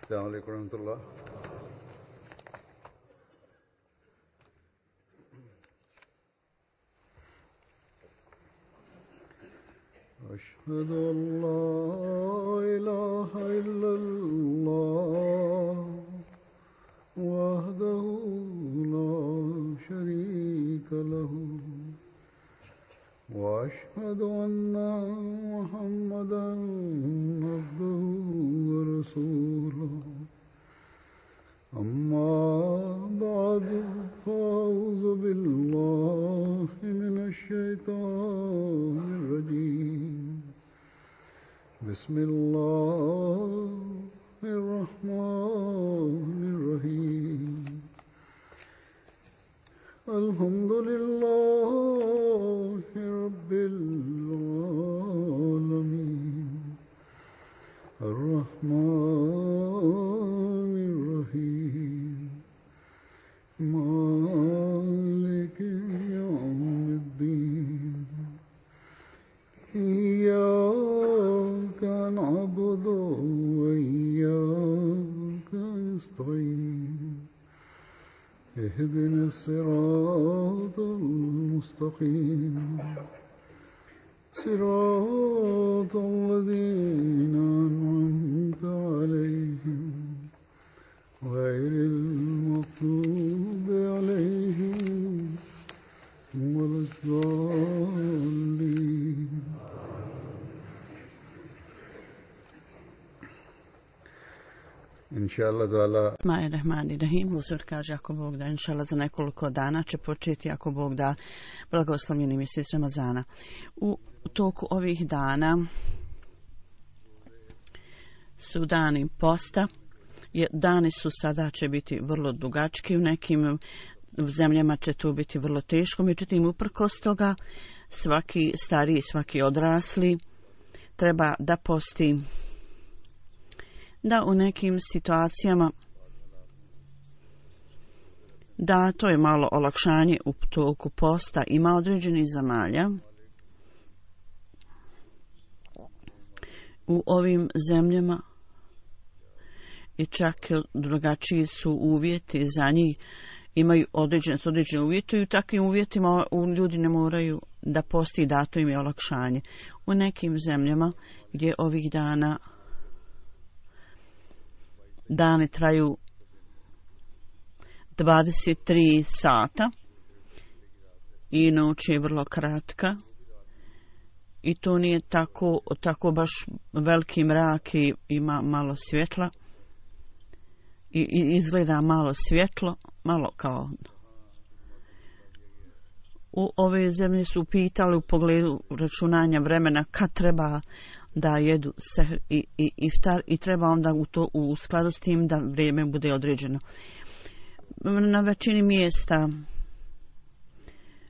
السلام عليكم ورحمة الله. أشهد أن لا إله إلا الله وحده لا شريك له وأشهد أن محمدا عبده ورسوله أما بعد فأعوذ بالله من الشيطان الرجيم بسم الله الرحمن الرحيم الحمد لله رب العالمين الرحمن الرحيم مالك يوم الدين إياك نعبد وإياك نستعين اهدنا الصراط المستقيم صراط الذين أنعمت عليهم غير المغضوب عليهم ولا الضالين. Inshallah ta'ala. Bismillahirrahmanirrahim. Uzor kaže ako Bog da, inshallah za nekoliko dana će početi ako Bog da blagoslovljeni mjesec Ramazana. U toku ovih dana su dani posta. Dani su sada će biti vrlo dugački, u nekim zemljama će to biti vrlo teško, međutim uprkos toga svaki stariji, svaki odrasli treba da posti, da u nekim situacijama da to je malo olakšanje u toku posta. Ima određenih zemalja u ovim zemljama i čak drugačiji su uvjeti za njih, imaju određene uvjete i u takvim uvjetima ljudi ne moraju da posti, dato im je olakšanje. U nekim zemljama gdje ovih dani traju 23 sata i noć je vrlo kratka i to nije tako baš veliki mrak i ima malo svjetla i izgleda malo svjetlo, malo kao u ove zemlje su pitali u pogledu računanja vremena kad treba da jedu sehr i iftar i treba onda u skladu s tim da vrijeme bude određeno. Na većini mjesta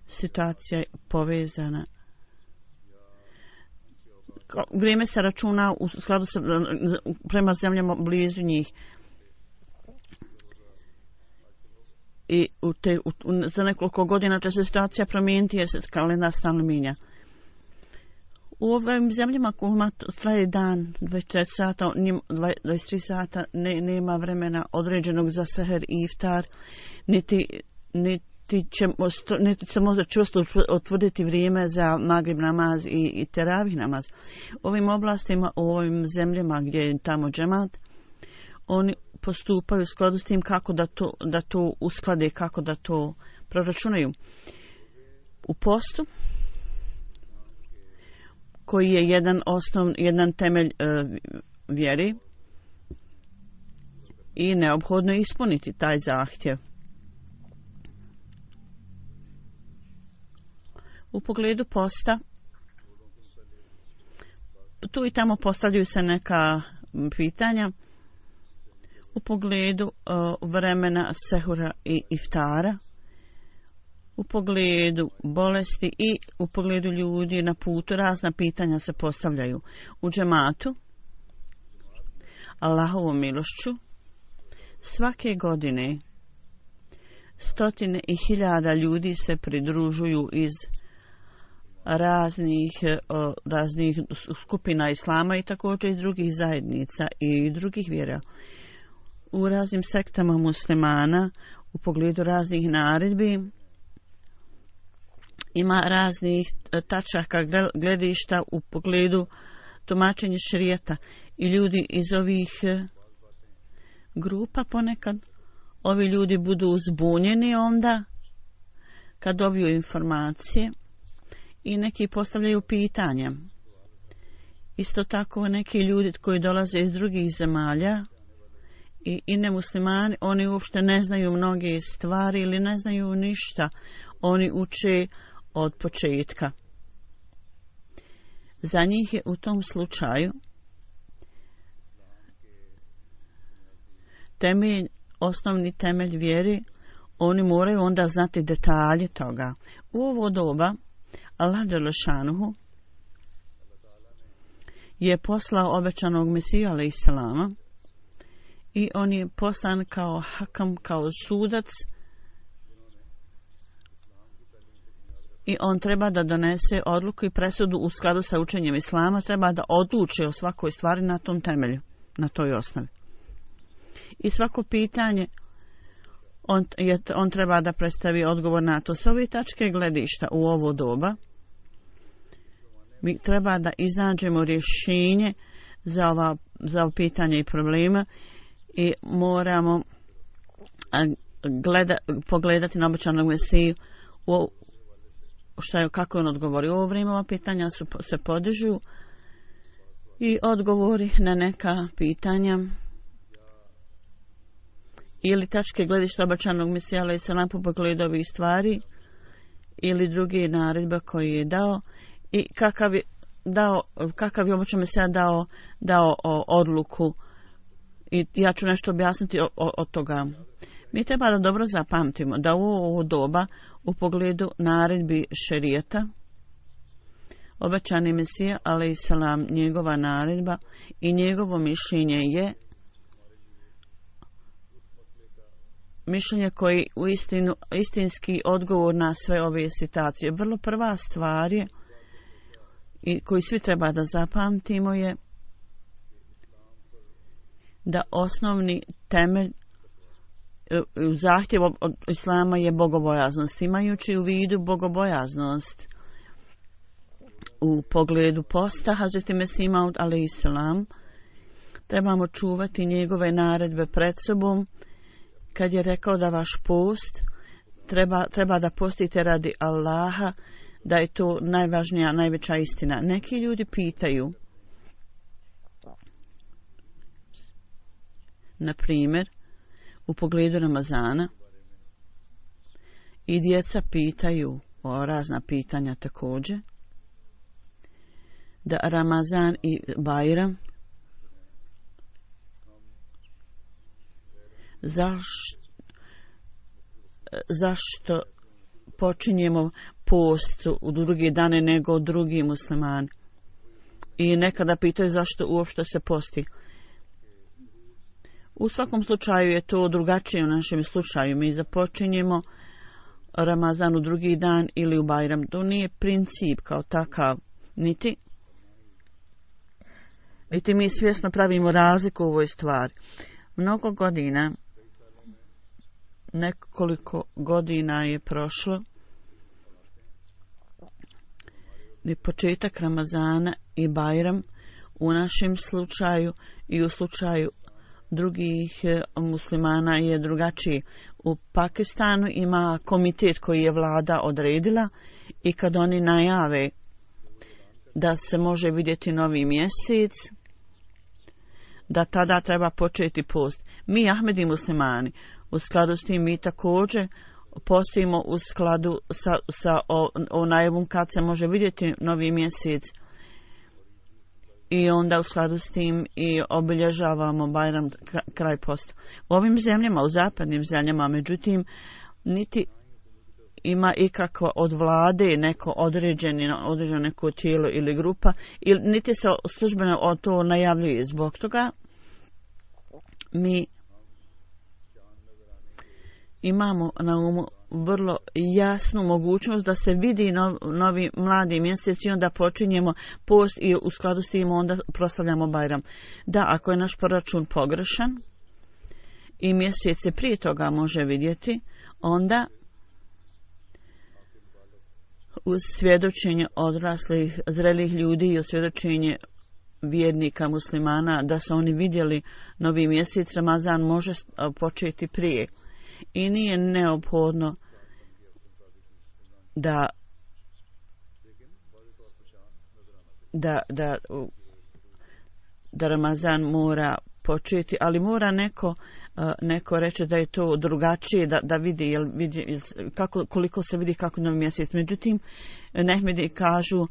situacija je povezana. Vrijeme se računa u skladu sa prema zemljama blizu njih. I za nekoliko godina će se situacija promijeniti jer se kalendar stalno mijenja. U ovim zemljama kojima traje dan 24 sata, 23 sata nema vremena određenog za seher i iftar, niti se može čvrsto otvrditi vrijeme za magrib namaz i teravih namaz. U ovim oblastima, u ovim zemljama gdje je tamo džemat, oni postupaju u skladu s tim kako da to usklade, kako da to proračunaju. U postu, koji je jedan temelj vjeri i neophodno ispuniti taj zahtjev. U pogledu posta, tu i tamo postavljaju se neka pitanja u pogledu vremena sehura i iftara, u pogledu bolesti i u pogledu ljudi na putu. Razna pitanja se postavljaju. U džematu, Allahovom milošću, svake godine stotine i hiljada ljudi se pridružuju iz raznih skupina islama i također iz drugih zajednica i drugih vjera. u raznim sektama muslimana u pogledu raznih naredbi. Ima raznih tačaka gledišta u pogledu tumačenja šerijata i ljudi iz ovih grupa ponekad ovi ljudi budu zbunjeni onda kad dobiju informacije i neki postavljaju pitanja. Isto tako neki ljudi koji dolaze iz drugih zemalja i nemuslimani, oni uopšte ne znaju mnoge stvari ili ne znaju ništa. Oni uče od početka. Za njih je u tom slučaju osnovni temelj vjeri, oni moraju onda znati detalje toga. U ovo doba Allah dželešanuhu je poslao obećanog Mesiju alejselama i on je poslan kao hakam, kao sudac, i on treba da donese odluku i presudu u skladu sa učenjem islama, treba da odluči o svakoj stvari na tom temelju, na toj osnovi. I svako pitanje on treba da predstavi odgovor na to. S ove tačke gledišta u ovo doba mi treba da iznađemo rješenje za ovo pitanje i problema i moramo pogledati na obećanog Mesiju kako on odgovori. U ovo vrijeme ova pitanja se podižu i odgovori na neka pitanja ili tačke gledišta obećanog Mesija alejselam po pogledu ovih stvari ili druge naredbe koje je dao i kakav je obećan Mesija dao odluku. I ja ću nešto objasniti od toga. Mi treba da dobro zapamtimo da u ovo doba u pogledu naredbi šerijata obećani Mesija alejselam, njegova naredba i njegovo mišljenje je mišljenje koji istinski odgovor na sve ove situacije. Vrlo prva stvar je i koju svi treba da zapamtimo je da osnovni temelj zahtjev od islama je bogobojaznost. Imajući u vidu bogobojaznost u pogledu posta Hazreti Mesih Maud alejselam, trebamo čuvati njegove naredbe pred sobom kad je rekao da vaš post treba da postite radi Allaha, da je to najvažnija, najveća istina. Neki ljudi pitaju, na primjer, u pogledu Ramazana, i djeca pitaju o razna pitanja također, da Ramazan i Bajram zašto počinjemo post u drugi dane nego drugi muslimani. I nekada pitaju zašto uopšte se posti. U svakom slučaju je to drugačije u našem slučaju. Mi započinjemo Ramazan u drugi dan ili u Bajram. To nije princip kao takav. Niti mi svjesno pravimo razliku u ovoj stvari. Mnogo godina, nekoliko godina je prošlo i početak Ramazana i Bajram u našem slučaju i u slučaju drugih muslimana je drugačiji. U Pakistanu ima komitet koji je vlada odredila i kad oni najave da se može vidjeti novi mjesec, da tada treba početi post. Mi Ahmedi muslimani u skladu s tim mi također postimo u skladu sa najavom kad se može vidjeti novi mjesec i onda u skladu s tim i obilježavamo Bajram, kraj posta. U ovim zemljama, u zapadnim zemljama, međutim, niti ima ikakva od vlade neko određeno neko tijelo ili grupa, niti se službeno o to najavljuje. Zbog toga mi imamo na umu vrlo jasnu mogućnost da se vidi novi mladi mjesec i onda počinjemo post i u skladu s tim onda proslavljamo Bajram. Da, ako je naš proračun pogrešan i mjesec se prije toga može vidjeti, onda uz svjedočenje odraslih, zrelih ljudi i uz svjedočenje vjernika muslimana da su oni vidjeli novi mjesec, Ramazan može početi prije. I nije neophodno da Ramazan mora početi, ali mora neko reći da je to drugačije, da vidi, koliko se vidi kako novi mjesec. Međutim, Nehmidi kažu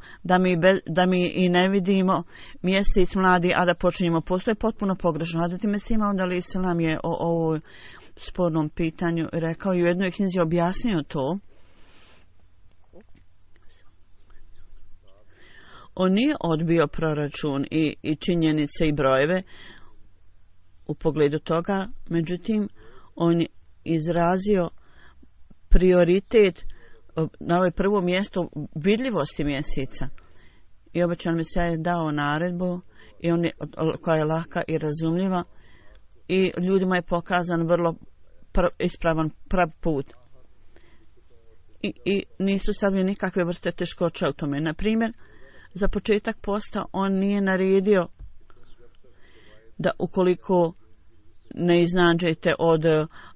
da mi i ne vidimo mjesec mladi, a da počinjemo. Postoje potpuno pogrešno. Hazret Mesih Maud alejhi selam je o ovoj spornom pitanju rekao i u jednoj knjizi objasnio to. On nije odbio proračun i činjenice i brojeve u pogledu toga, međutim, on je izrazio prioritet na ovo prvo mjesto vidljivosti mjeseca. I obećan Mesija je dao naredbu i koja je laka i razumljiva i ljudima je pokazan vrlo ispravan prav put. I nisu stavljene nikakve vrste teškoća u tome. Na primjer, za početak posta on nije naredio da ukoliko ne iznađete od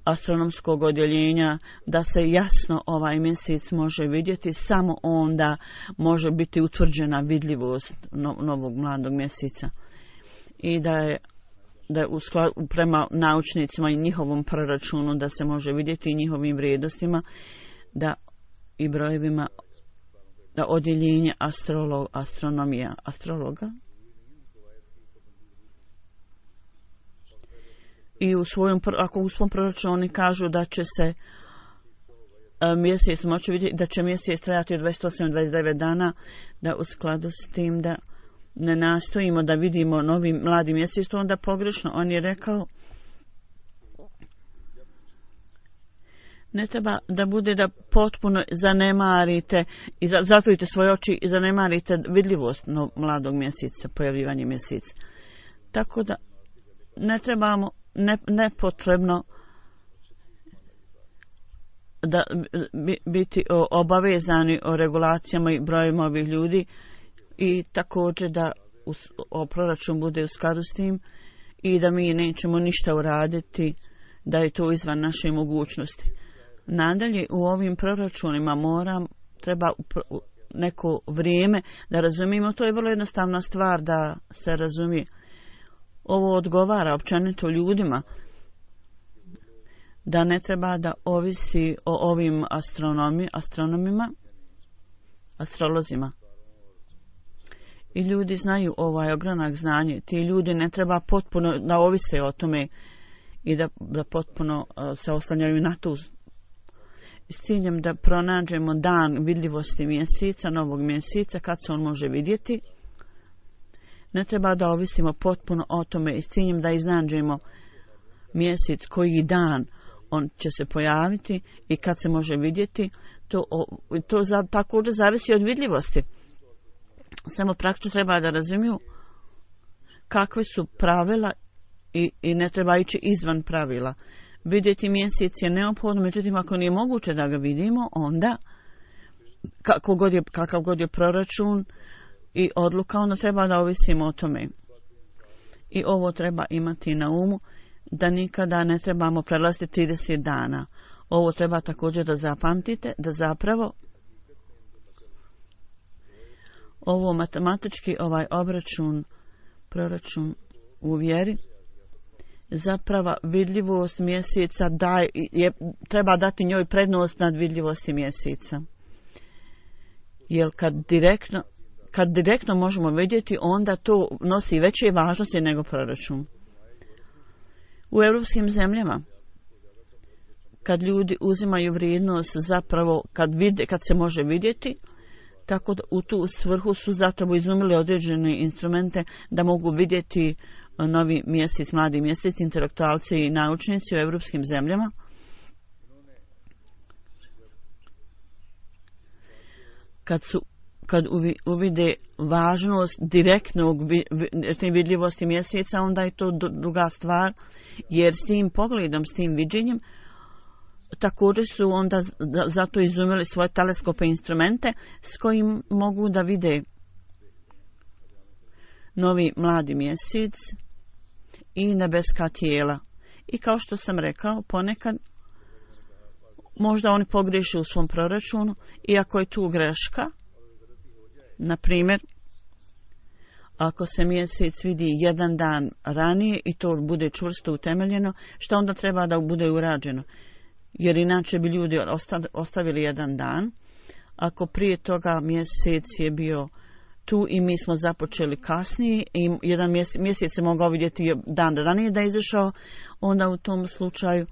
astronomskog odjeljenja da se jasno ovaj mjesec može vidjeti, samo onda može biti utvrđena vidljivost novog mladog mjeseca. I da je prema naučnicima i njihovom proračunu da se može vidjeti i njihovim vrijednostima da i brojevima da odjeljenje astronomija astrologa i ako u svom proračunu oni kažu da će se mjesec moći vidjeti, da će mjesec trajati od 28-29 dana, da u skladu s tim da ne nastojimo da vidimo novi mladi mjesec, to onda pogrešno. On je rekao ne treba da bude da potpuno zanemarite i zatvorite svoje oči i zanemarite vidljivost mladog mjeseca, pojavljivanje mjeseca. Tako da ne trebamo nepotrebno da biti obavezani o regulacijama i brojima ovih ljudi i također da proračun bude u skladu s tim i da mi nećemo ništa uraditi, da je to izvan naše mogućnosti. Nadalje, u ovim proračunima treba neko vrijeme da razumijemo, to je vrlo jednostavna stvar da se razumije. Ovo odgovara općenito ljudima, da ne treba da ovisi o ovim astronomima, astrolozima. I ljudi znaju ovaj ogranak znanje. Ti ljudi ne treba potpuno da ovise o tome i da potpuno se oslanjaju na to s ciljem da pronađemo dan vidljivosti mjeseca, novog mjeseca, kad se on može vidjeti. Ne treba da ovisimo potpuno o tome i s ciljem da iznađemo mjesec koji dan on će se pojaviti i kad se može vidjeti. To također zavisi od vidljivosti. Samo praktično treba da razumiju kakve su pravila i ne treba ići izvan pravila. Vidjeti mjesec je neophodno, međutim ako nije moguće da ga vidimo, onda kakav god je proračun i odluka, onda treba da ovisimo o tome. I ovo treba imati na umu, da nikada ne trebamo prelaziti 30 dana. Ovo treba također da zapamtite, da zapravo ovo matematički proračun u vjeri, zapravo vidljivost mjeseca treba dati njoj prednost nad vidljivosti mjeseca. Jer kad direktno možemo vidjeti, onda to nosi veće važnosti nego proračun. U europskim zemljama, kad ljudi uzimaju vrijednost zapravo kad se može vidjeti, tako da u tu svrhu su zapravo izumili određene instrumente da mogu vidjeti novi mjesec, mladi mjesec, intelektualci i naučnici u europskim zemljama. kad uvide važnost direktnog vidljivosti mjeseca, onda je to druga stvar, jer s tim pogledom, s tim viđenjem, također su onda zato izumili svoje teleskope instrumente s kojim mogu da vide novi mladi mjesec i nebeska tijela. I kao što sam rekao, ponekad možda oni pogriješe u svom proračunu, iako je tu greška. Na primjer, ako se mjesec vidi jedan dan ranije i to bude čvrsto utemeljeno, što onda treba da bude urađeno? Jer inače bi ljudi ostavili jedan dan. Ako prije toga mjesec je bio tu i mi smo započeli kasnije i jedan mjesec se mogao vidjeti dan ranije da je izašao, onda u tom slučaju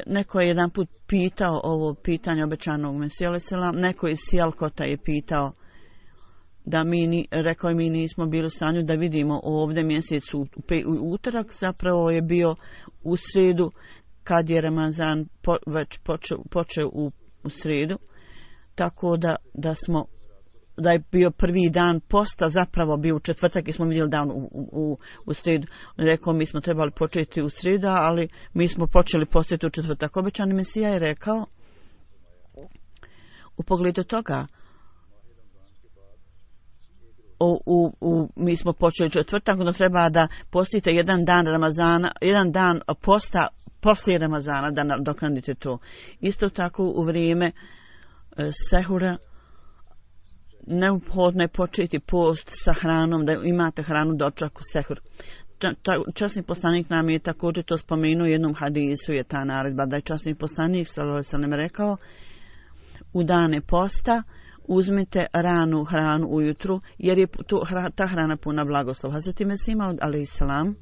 neko je jedan put pitao ovo pitanje obećanog Mesija alejhi selam, neko iz Sijalkota je pitao da rekao je mi nismo bili u stanju da vidimo ovdje mjesec u utorak, zapravo je bio u srijedu kad je Ramazan već počeo u srijedu, tako da je bio prvi dan posta, zapravo bio u četvrtak i smo vidjeli dan u srijedu. Rekao, mi smo trebali početi u srijedu, ali mi smo počeli postati u četvrtak. Obećani Mesija je rekao, u pogledu toga, mi smo počeli četvrtak, onda treba da postite jedan dan Ramazana, jedan dan posta poslije Ramazana da nadoknadite to. Isto tako u vrijeme sehura neophodno je početi post sa hranom, da imate hranu dočak u sehur. Časni poslanik nam je također to spomenuo, u jednom hadisu je ta naredba, da je časni poslanik sallallahu alejhi ve sellem rekao, u dane posta uzmite ranu hranu ujutru, jer je ta hrana puna blagoslova. Hazreti Mesih Maud alejhi selam,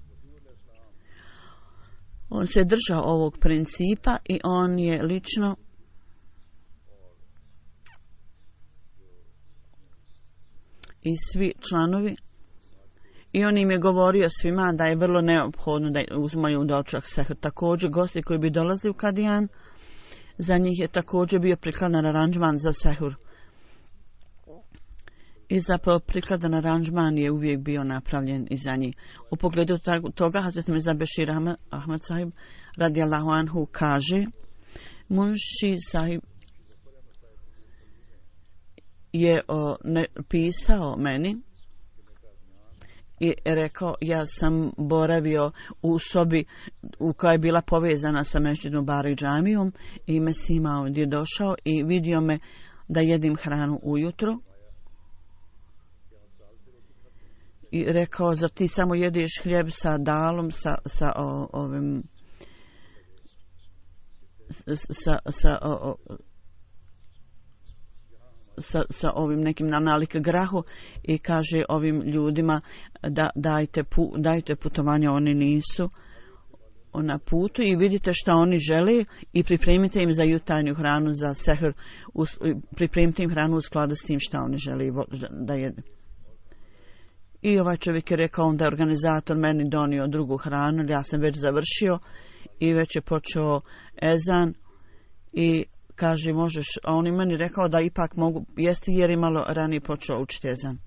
on se držao ovog principa i on je lično i svi članovi, i on im je govorio svima da je vrlo neophodno da uzmaju dočak sehur. Također gosti koji bi dolazili u Kadijan, za njih je također bio prikladan aranžman za sehur. I zapravo prikladan aranžman je uvijek bio napravljen i za njih. U pogledu toga Hazret Mirza Bešir Ahmad sahib radijallahu anhu kaže, Munši sahib je pisao meni i rekao, ja sam boravio u sobi u kojoj je bila povezana sa Mešćidom Bari džamijom i Mesih Maud je došao i vidio me da jedim hranu ujutro i rekao, zar ti samo jedeš hljeb sa dalom, sa ovim nekim nalik grahu, i kaže ovim ljudima da dajte putovanje, oni nisu na putu i vidite šta oni žele i pripremite im za jutarnju hranu, za sehur, pripremite im hranu u skladu s tim šta oni žele da jedu. I ovaj čovjek je rekao da je organizator meni donio drugu hranu, ja sam već završio i već je počeo ezan i kaže možeš, a on je meni rekao da ipak mogu jesti jer je malo ranije počeo učiti ezan.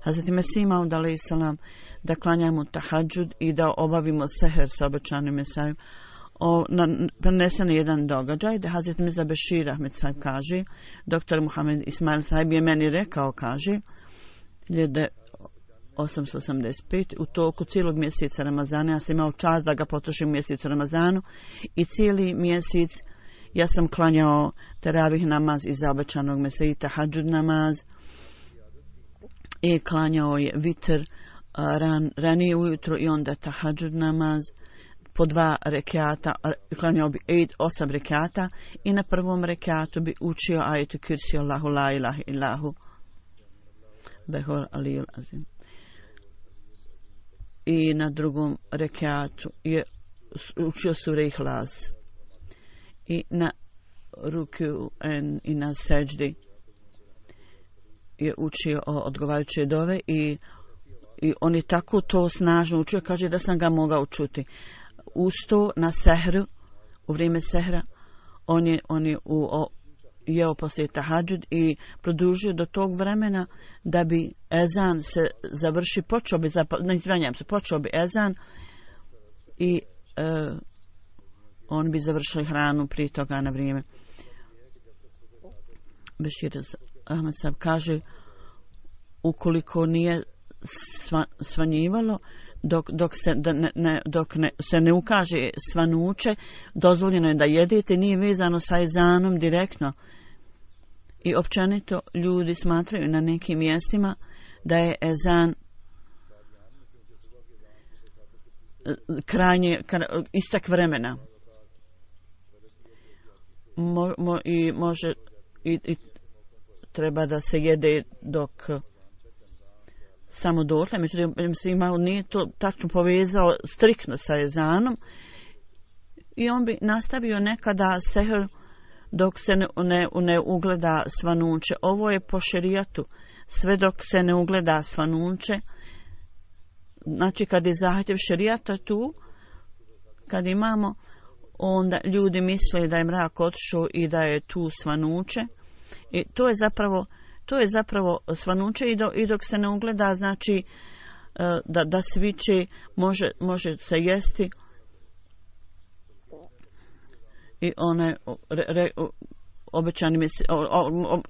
Hazreti Mesih Maud alejhi selam da klanjamo tahadžud i da obavimo seher sa obećanim Mesijom. Prenesen je jedan događaj da Hazreti Mirza Bešir Ahmed sahib kaže, doktor Muhammed Ismail sahib je meni rekao, kaže, 1885 u toku cijelog mjeseca Ramazana, ja sam imao čast da ga potrošim u mjesecu Ramazanu i cijeli mjesec ja sam klanjao teravih namaz iza obećanog Mesiji, tahadžud namaz, i klanjao je vitr ranije ujutro i onda tahadžud namaz po 2 rekiata, klanjao bi 8 rekiata i na prvom rekiatu bi učio ajetu kursi Allahu la ilaha illahu behol aliyul azim. I na drugom rekiatu je učio sure Ihlas. I na ruku i na seđdi je učio odgovarajuće dove i on je tako to snažno učio, kaže da sam ga mogao čuti. Uz to na sehru, u vrijeme sehra, on je jeo poslije tahadžud i produžio do tog vremena da bi ezan se završi, počeo bi ezan i on bi završili hranu prije toga na vrijeme. Bešir Ahmed Sab kaže, ukoliko nije svanjivalo, dok se ne ukaže svanuće, dozvoljeno je da jedete, nije vezano sa ezanom direktno. I općenito ljudi smatraju na nekim mjestima da je ezan krajnje istek vremena. I treba da se jede dok samo dotle, međutim nije to tačno povezao striktno sa ezanom i on bi nastavio nekada sehr dok se ne ugleda svanuće. Ovo je po šerijatu, sve dok se ne ugleda svanuće. Znači kad je zahtjev šerijata tu, kad imamo, onda ljudi misle da je mrak otišao i da je tu svanuće. I to je zapravo svanuće i dok se ne ugleda, znači da sviće može se jesti. I one obećani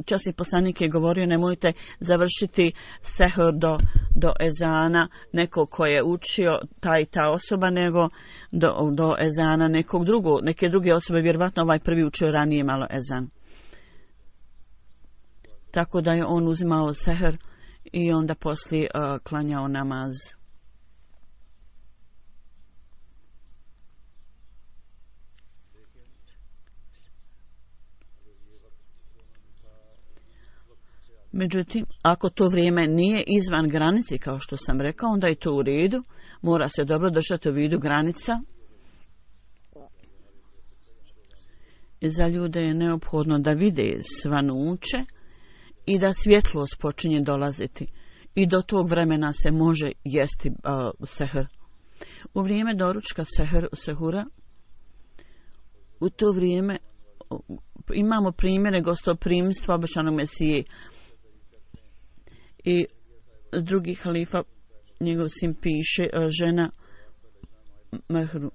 časni poslanik je govorio, nemojte završiti sehr do ezana nekog ko je učio ta osoba, nego do ezana neke druge osobe, vjerovatno ovaj prvi učio ranije malo ezan. Tako da je on uzimao sehr i onda poslije klanjao namaz. Međutim, ako to vrijeme nije izvan granice, kao što sam rekao, onda je to u redu. Mora se dobro držati u vidu granica. I za ljude je neophodno da vide svanuće i da svjetlost počinje dolaziti. I do tog vremena se može jesti sehr. U vrijeme doručka sehura, u to vrijeme imamo primjere gostoprimstva obećanog Mesije. I drugi halifa, njegov sin piše, žena Mehru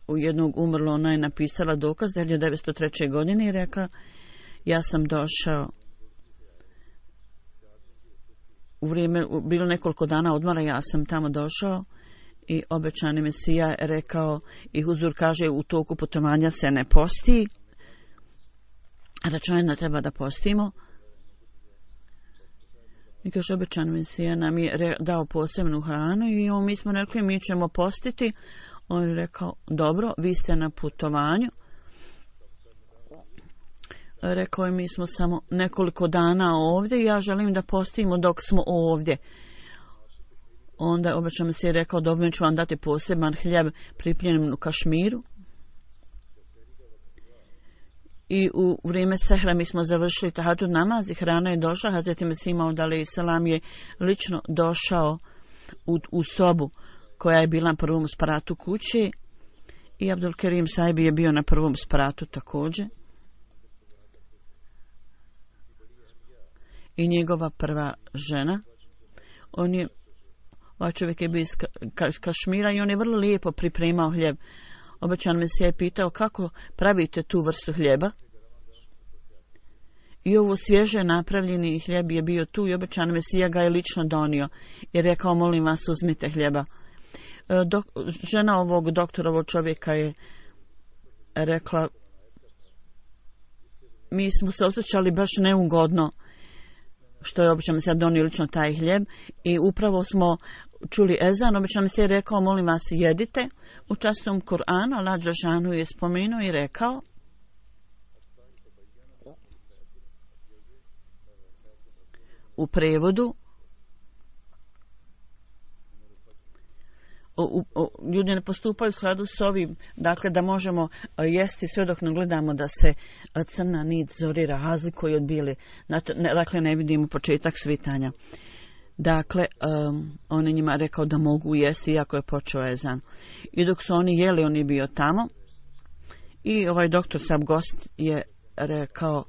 u jednog umrlo, ona je napisala dokaz 1903. godine i rekla, ja sam došao u vrijeme, bilo nekoliko dana odmora, ja sam tamo došao i obećani Mesija je rekao, i huzur kaže, u toku putovanja se ne posti, računajno treba da postimo. I kaže, obećan Mesija nam je dao posebnu hranu i mi smo rekli, mi ćemo postiti. On je rekao, dobro, vi ste na putovanju. Rekao je, mi smo samo nekoliko dana ovdje i ja želim da postimo dok smo ovdje. Onda obećan Mesija je rekao, dobro, mi ću vam dati poseban hljeb pripljen u Kašmiru. I u vrijeme sehra mi smo završili tahadžud namaz i hrana je došla. Hazreti Mesih Maud alejhi selam je lično došao u sobu koja je bila na prvom spratu kuće i Abdul Kerim Sahib je bio na prvom spratu također. I njegova prva žena, ovaj čovjek je bio iz Kašmira i on je vrlo lijepo pripremao hljeb. Obećan Mesija je pitao, kako pravite tu vrstu hljeba? I ovo svježe napravljeni hljeb je bio tu i obećan Mesija ga je lično donio i rekao, molim vas, uzmite hljeba. Žena ovog doktorovog čovjeka je rekla, mi smo se osjećali baš neugodno što je obećan Mesija donio lično taj hljeb i upravo smo čuli ezan. Obećan Mesija je rekao, molim vas, jedite. U časnom Kur'anu Allah dželešanu je spomenuo i rekao, u prevodu, ljudi ne postupaju u skladu s ovim, dakle da možemo jesti sve dok ne gledamo da se crna nit zori razlikuje od bijele, dakle ne vidimo početak svitanja. Dakle, on je njima rekao da mogu jesti iako je počeo ezan. I dok su oni jeli, on je bio tamo i ovaj doktor Sab gost je rekao,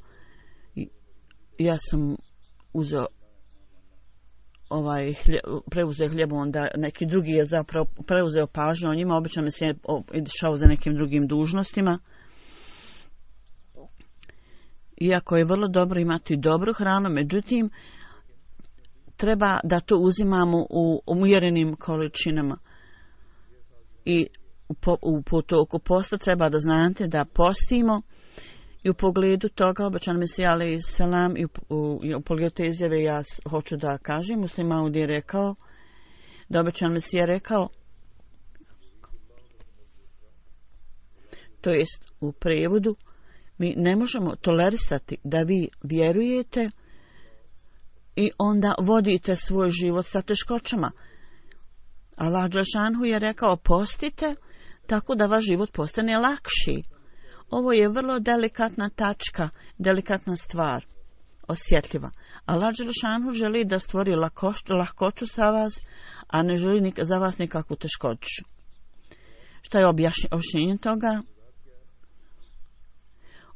ja sam uzeo preuzeo hljeb, onda neki drugi je zapravo preuzeo pažnju o njima, obično mi se je išao za nekim drugim dužnostima. Iako je vrlo dobro imati dobru hranu, međutim, treba da to uzimamo u umjerenim količinama. I u toku posta treba da znate da postimo i u pogledu toga, običan Mesija alejhi selam, i u pogledu te izjave ja hoću da kažem, Muslim Maud je rekao, da običan Mesija rekao, to jest u prevodu, mi ne možemo tolerisati da vi vjerujete i onda vodite svoj život sa teškoćama. Allah dželešanu je rekao, postite tako da vaš život postane lakši. Ovo je vrlo delikatna tačka, delikatna stvar, osjetljiva. Allah dželešanu želi da stvori lahkoću sa vas, a ne želi za vas nikakvu teškoću. Šta je objašnjenje toga?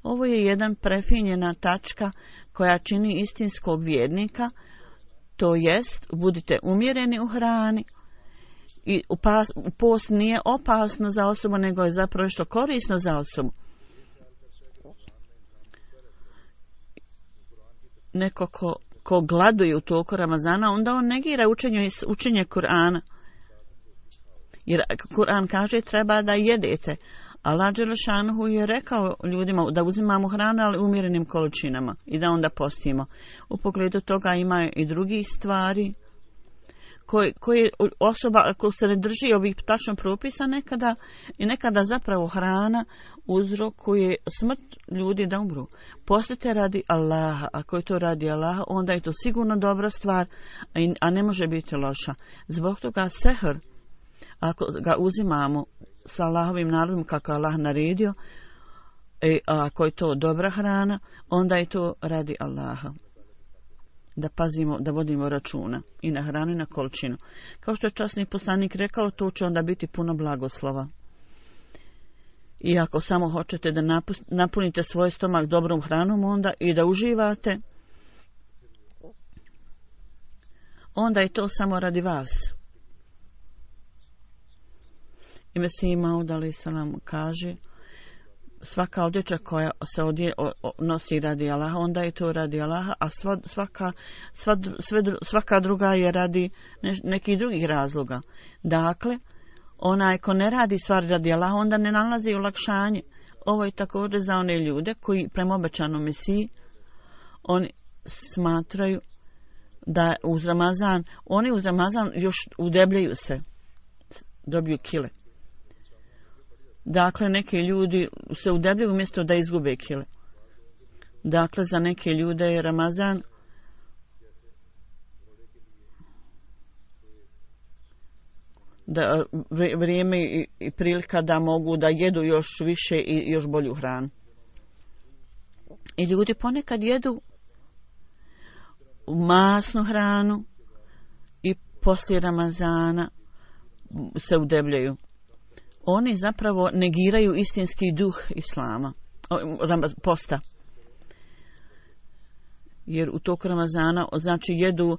Ovo je jedan prefinjena tačka koja čini istinskog vjernika, to jest budite umjereni u hrani i post nije opasno za osobu, nego je zapravo što korisno za osobu. Neko ko gladuje u toku Ramazana, onda on negira učenje Kur'ana. Jer Kur'an kaže treba da jedete. Allah dželešanu je rekao ljudima da uzimamo hranu, ali umjerenim količinama i da onda postimo. U pogledu toga ima i drugih stvari koje osoba, ako se ne drži ovih tačno propisa, nekada zapravo hrana uzrokuje smrt ljudi da umru. Postite radi Allaha. Ako je to radi Allaha, onda je to sigurno dobra stvar, a ne može biti loša. Zbog toga sehr, ako ga uzimamo sa Allahovim narodom kako je Allah naredio, ako je to dobra hrana, onda je to radi Allaha. Da pazimo, da vodimo računa i na hranu i na količinu. Kao što je časni poslanik rekao, to će onda biti puno blagoslova. I ako samo hoćete da napunite svoj stomak dobrom hranom, onda i da uživate, onda je to samo radi vas. I Mesija Maud alejhi selam kaže, svaka odjeća koja se nosi radi Allaha, onda je to radi Allaha, a svaka druga je radi nekih drugih razloga. Dakle, onaj ko ne radi stvari radi Allaha, onda ne nalazi olakšanje. Ovo je također za one ljude koji prema obećanom Mesiji, oni smatraju da oni uz Ramazan još udebljaju se, dobiju kile. Dakle, neki ljudi se udebljaju umjesto da izgube kile. Dakle, za neke ljude je Ramazan da vrijeme i prilika da mogu da jedu još više i još bolju hranu. I ljudi ponekad jedu masnu hranu i poslije Ramazana se udebljaju. Oni zapravo negiraju istinski duh islama, posta. Jer u toku Ramazana, znači, jedu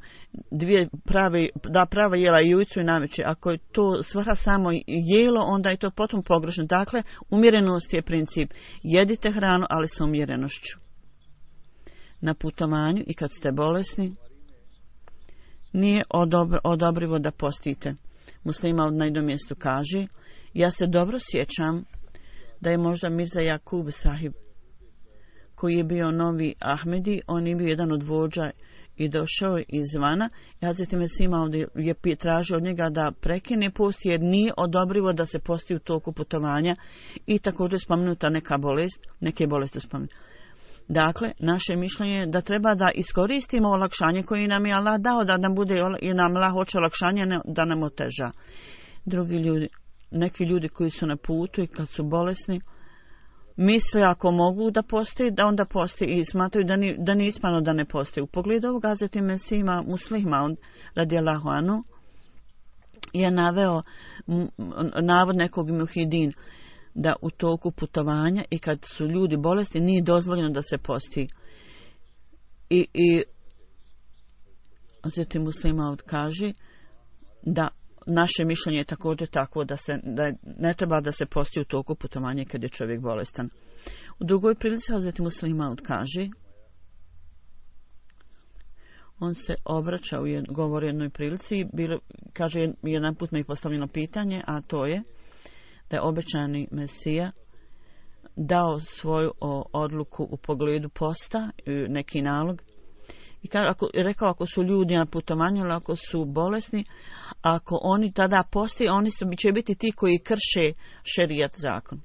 prava jela i ujutru i navečer. Ako je to svrha samo jelo, onda je to potom pogrešno. Dakle, umjerenost je princip. Jedite hranu, ali sa umjerenošću. Na putovanju i kad ste bolesni, nije odobrivo da postite. Muslima na jednom mjestu kaže, ja se dobro sjećam da je možda Mirza Jakub sahib, koji je bio novi Ahmedi, on je bio jedan od vođa i došao izvana. Hazret Mesih ovdje je tražio od njega da prekine post, jer nije odobrivo da se posti u toku putovanja, i također spomenuta neke bolesti spomenuta. Dakle, naše mišljenje je da treba da iskoristimo olakšanje koje nam je Allah dao, da nam bude i nam Allah hoće olakšanje, da nam oteža. Neki ljudi koji su na putu i kad su bolesni, misle ako mogu da postoji, da onda postoji, i smatraju da nije ispravno da ne postoji. U pogledu ovog Hazreti Mesija Muslih Maud radijallahu anhu je naveo navod nekog muhidin da u toku putovanja i kad su ljudi bolesni nije dozvoljeno da se posti. I Hazreti Muslim Maud kaže da naše mišljenje je također takvo da ne treba da se posti u toku putovanja kad je čovjek bolestan. U drugoj prilici Hazreti Muslim Maud kaže, on se obraća govori u jednoj prilici, kaže jedan put mi je postavljeno pitanje, a to je da je obećani Mesija dao svoju odluku u pogledu posta, neki nalog, i rekao ako su ljudi na putovanju ili ako su bolesni, ako oni tada poste, oni će biti ti koji krše šerijat zakon.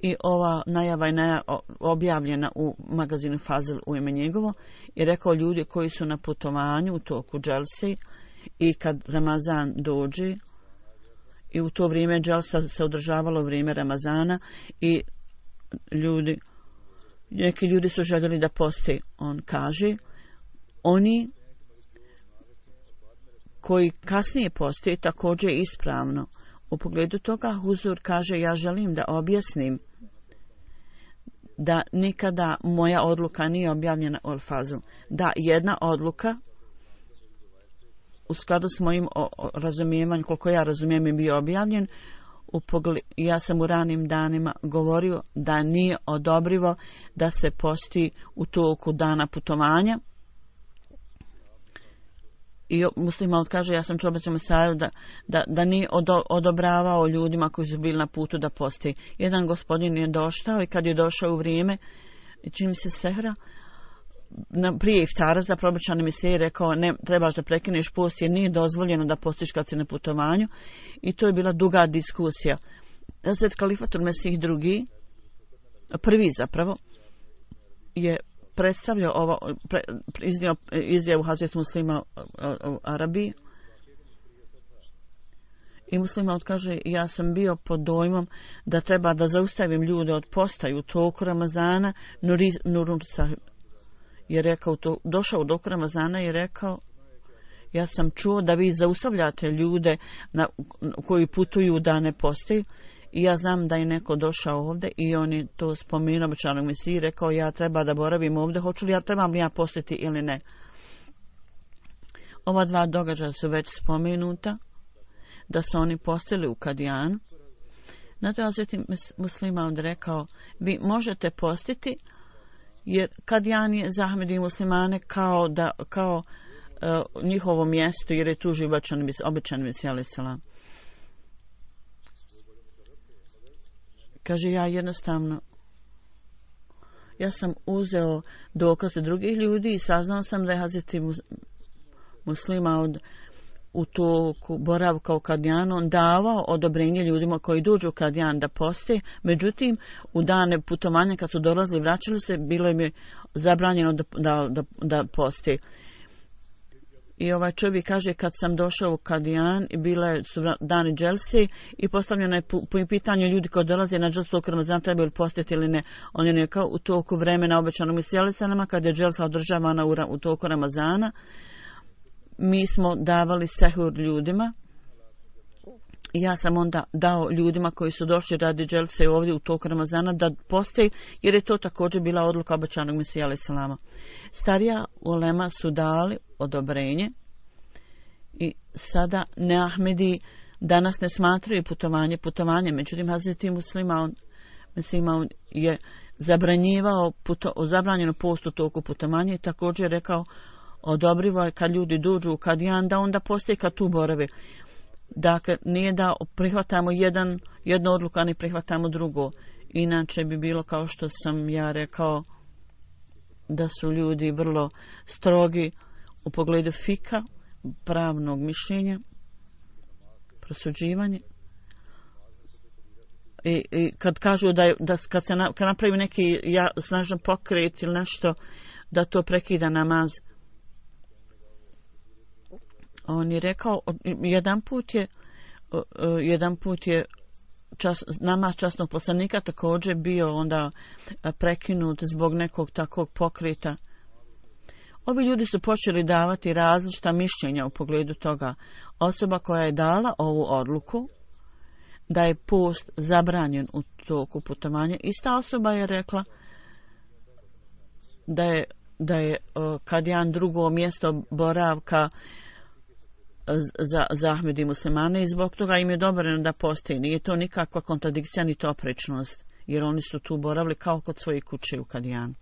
I ova najava je objavljena u magazinu Fazl u ime njegovo i rekao ljudi koji su na putovanju u toku dželse i kad Ramazan dođe, i u to vrijeme dželsa se održavalo vrijeme Ramazana i neki ljudi su željeli da poste. On kaže, oni koji kasnije poste također je ispravno. U pogledu toga Huzur kaže, ja želim da objasnim da nikada moja odluka nije objavljena u Al-Fazl. Da jedna odluka u skladu s mojim razumijevanjem, koliko ja razumijem, je bio objavljen. Ja sam u ranim danima govorio da nije odobrivo da se posti u toku dana putovanja. I Muslim Maud kaže, ja sam čuo obećanom Mesaju da nije odobravao ljudima koji su bili na putu da posti. Jedan gospodin je došao i kad je došao u vrijeme, čini mi se sehra, prije iftara za obećani Mesija rekao, ne trebaš da prekineš post jer nije dozvoljeno da postiš kad si na putovanju. I to je bila duga diskusija. Hazret Kalifatul Mesih drugi, prvi zapravo, je predstavljao iznio izjavu Hazreti Muslima u Arabiji. I Muslima kaže, ja sam bio pod dojmom da treba da zaustavim ljude od posta u toku Ramazana. Nurun Sahib je rekao, došao u toku Ramazana i rekao, ja sam čuo da vi zaustavljate ljude koji putuju da ne postaju. I ja znam da je neko došao ovdje i on je to spomenuo obećanog Mesiji, rekao, ja treba da boravim ovdje, trebam li ja postiti ili ne. Ova dva događaja su već spomenuta, da su oni postili u Kadijanu. Na to Hazreti Muslim Maud rekao, vi možete postiti, jer Kadijan je za Ahmedi i muslimane kao njihovo mjesto, jer je tu živ obećani Mesija alejhi selam. Kaže, ja sam uzeo dokaze drugih ljudi i saznao sam da je Hazreti Muslim Maud u toku boravka u Kadijanu davao odobrenje ljudima koji dođu u Kadijan da poste. Međutim, u dane putovanja kad su dolazili i vraćali se, bilo im je zabranjeno da poste. I ovaj čovjek kaže, kad sam došao u Kadijan i bile su dani dželse i postavljeno je po pitanju ljudi koji dolaze na dželsu toku Ramazana trebaju li postiti ili ne. On je rekao, u toku vremena obećanog Mesija alejhi selam, kad je dželsa održavana u toku Ramazana, mi smo davali sehur ljudima i ja sam onda dao ljudima koji su došli radi dželse ovdje u toku Ramazana da poste, jer je to također bila odluka obećanog Mesija alejhi selama. Starija ulema su dali odobrenje i sada neahmedi danas ne smatraju putovanje. Međutim, Hazreti Muslima Mesija je zabranjeno post u toku putovanja i također rekao, odobrivo je kad ljudi dođu u Kadijan da onda postoji kad tu borave. Dakle, nije da prihvatamo jednu odluku, a ne prihvatamo drugo. Inače bi bilo kao što sam ja rekao, da su ljudi vrlo strogi u pogledu fika, pravnog mišljenja, prosuđivanja. I kad kažu kad napravi neki snažan pokret ili nešto, da to prekida namaz. On je rekao, jedan put je namaz časnog poslanika također bio onda prekinut zbog nekog takvog pokreta. Ovi ljudi su počeli davati različita mišljenja u pogledu toga. Osoba koja je dala ovu odluku da je post zabranjen u toku putovanja, ista osoba je rekla da je da je Kadijan drugo mjesto boravka za Ahmed i muslimane i zbog toga im je dobreno da postoji. Nije to nikakva kontradikcija ni oprečnost, jer oni su tu boravili kao kod svoje kuće u Kadijanu.